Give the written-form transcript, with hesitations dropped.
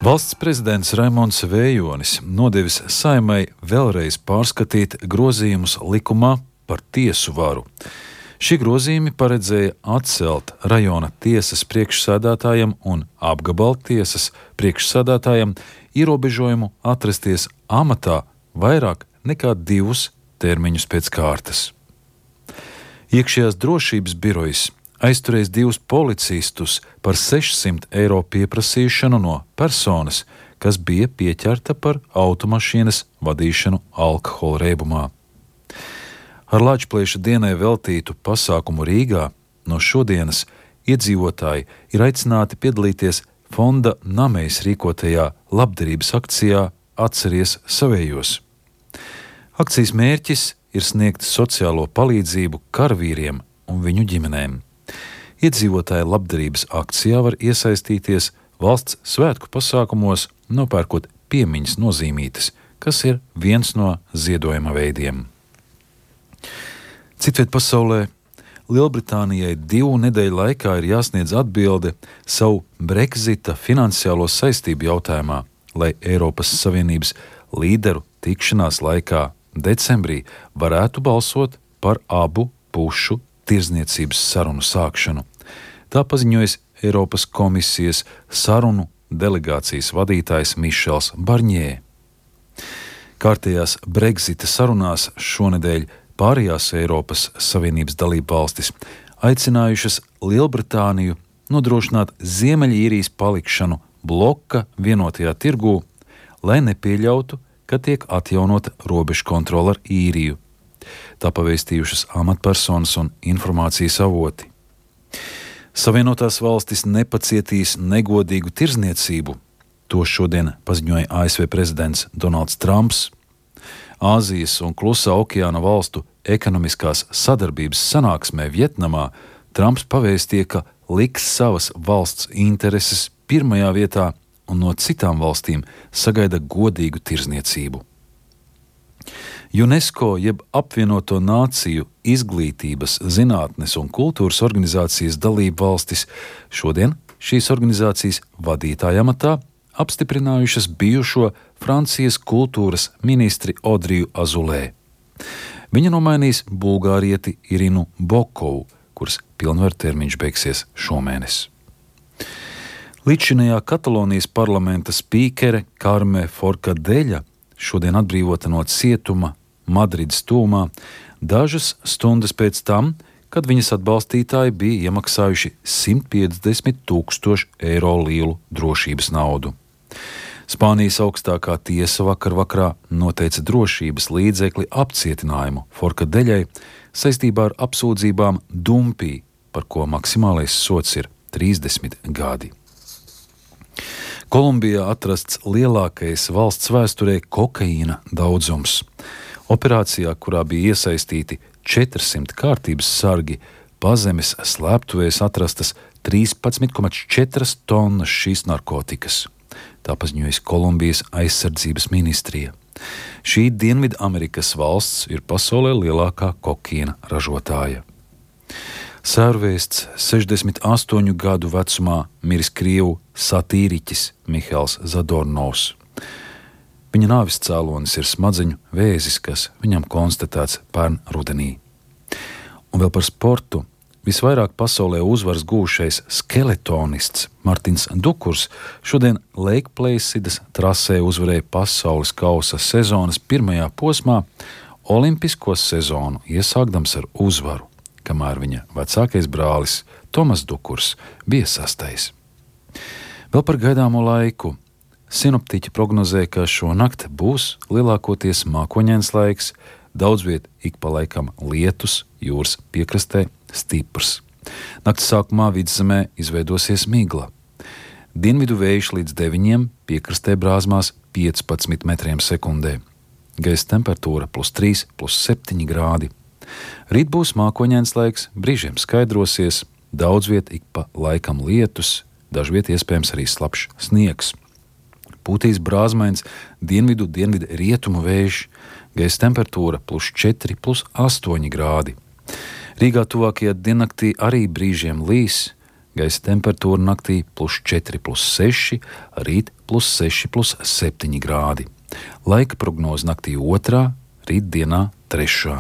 Valsts prezidents Raimonds Vējonis nodevis Saeimai vēlreiz pārskatīt grozījumus likumā par tiesu varu. Šie grozījumi paredzēja atcelt rajona tiesas priekšsēdētājam un apgabaltiesas priekšsēdētājam ierobežojumu atrasties amatā vairāk nekā 2 termiņus pēc kārtas. Iekšējās drošības birojas aizturējis 2 policistus par 600 eiro pieprasīšanu no personas, kas bija pieķerta par automašīnas vadīšanu alkohola reibumā. Ar Lāčplēša dienai veltītu pasākumu Rīgā no šodienas iedzīvotāji ir aicināti piedalīties fonda Namejs rīkotajā labdarības akcijā Atceries savējos. Akcijas mērķis ir sniegt sociālo palīdzību karavīriem un viņu ģimenēm. Iedzīvotāji labdarības akcijā var iesaistīties valsts svētku pasākumos, nopērkot piemiņas nozīmītes, kas ir viens no ziedojuma veidiem. Citviet pasaulē Lielbritānijai 2 nedēļu laikā ir jāsniedz atbilde savu Brexita finansiālo saistību jautājumā, lai Eiropas Savienības līderu tikšanās laikā decembrī varētu balsot par abu pušu tirdzniecības sarunu sākšanu. Tā paziņojas Eiropas komisijas sarunu delegācijas vadītājs Mišels Barņē. Kārtējās Brexita sarunās šonedēļ pārējās Eiropas Savienības dalībvalstis aicinājušas Lielbritāniju nodrošināt Ziemeļīrijas palikšanu bloka vienotajā tirgū, lai nepieļautu, ka tiek atjaunota robežu kontrole ar Īriju. Tā pavēstījušas amatpersonas un informācijas avoti. Savienotās valstis nepacietīs negodīgu tirdzniecību. To šodien paziņoja ASV prezidents Donalds Trumps. Āzijas un Klusā okeāna valstu ekonomiskās sadarbības sanāksmē Vietnamā Trumps pavēstīja, ka liks savas valsts intereses pirmajā vietā un no citām valstīm sagaida godīgu tirdzniecību. UNESCO jeb apvienoto nāciju izglītības, zinātnes un kultūras organizācijas dalību valstis šodien šīs organizācijas vadītāja amatā apstiprinājušas bijušo Francijas kultūras ministri Audriju Azulē. Viņa nomainīs bulgārieti Irinu Bokovu, kuras pilnvartermiņš beigsies šomēnes. Līdzinējā Katalonijas parlamenta spīkere Karme Forcadeļa šodien atbrīvota no cietuma Madrides tūmā dažas stundas pēc tam, kad viņas atbalstītāji bija iemaksājuši 150 000 eiro lielu drošības naudu. Spānijas augstākā tiesa vakarā noteica drošības līdzekli apcietinājumu Forcadeļai saistībā ar apsūdzībām dumpī, par ko maksimālais sods ir 30 gadi. Kolumbijā atrasts lielākais valsts vēsturē kokaīna daudzums. Operācijā, kurā bija iesaistīti 400 kārtības sargi, pazemes slēptuvēs atrastas 13,4 tonnas šīs narkotikas. Tā paziņojas Kolumbijas aizsardzības ministrija. Šī Dienvidamerikas valsts ir pasaulē lielākā kokaīna ražotāja. Sērvēsts 68 gadu vecumā miris krievu satīriķis Mihails Zadornovs. Viņa nāves cēlonis ir smadzeņu vēzis, kas viņam konstatēts pērn rudenī. Un vēl par sportu. Visvairāk pasaulē uzvaras gūšais skeletonists Martins Dukurs šodien Lake Placidas trasē uzvarēja pasaules kausa sezonas pirmajā posmā, olimpisko sezonu iesākdams ar uzvaru, kamēr viņa vecākais brālis Tomas Dukurs bija 6. Vēl par gaidāmo laiku. Sinoptiķi prognozē, ka šonakt būs lielākoties mākoņains laiks, daudz viet ik pa laikam lietus, jūras piekrastē stiprs. Nakts sākumā vidzemē izveidosies migla. Dienvidu vējš līdz 9, piekrastē brāzmās 15 metriem sekundē. Gaisa temperatūra +3, +7 grādi. Rīt būs mākoņains laiks, brīžiem skaidrosies, daudz viet ik pa laikam lietus, dažviet iespējams arī slapjš sniegs. Pūtīs brāzmains dienvidu rietumu vējš, gaisa temperatūra +4, +8 grādi. Rīgā tuvākajā diennaktī arī brīžiem līs, Gaisa temperatūra naktī +4,+6, rīt +6,+7 grādi. Laika prognoze naktī 2., rītdienā 3.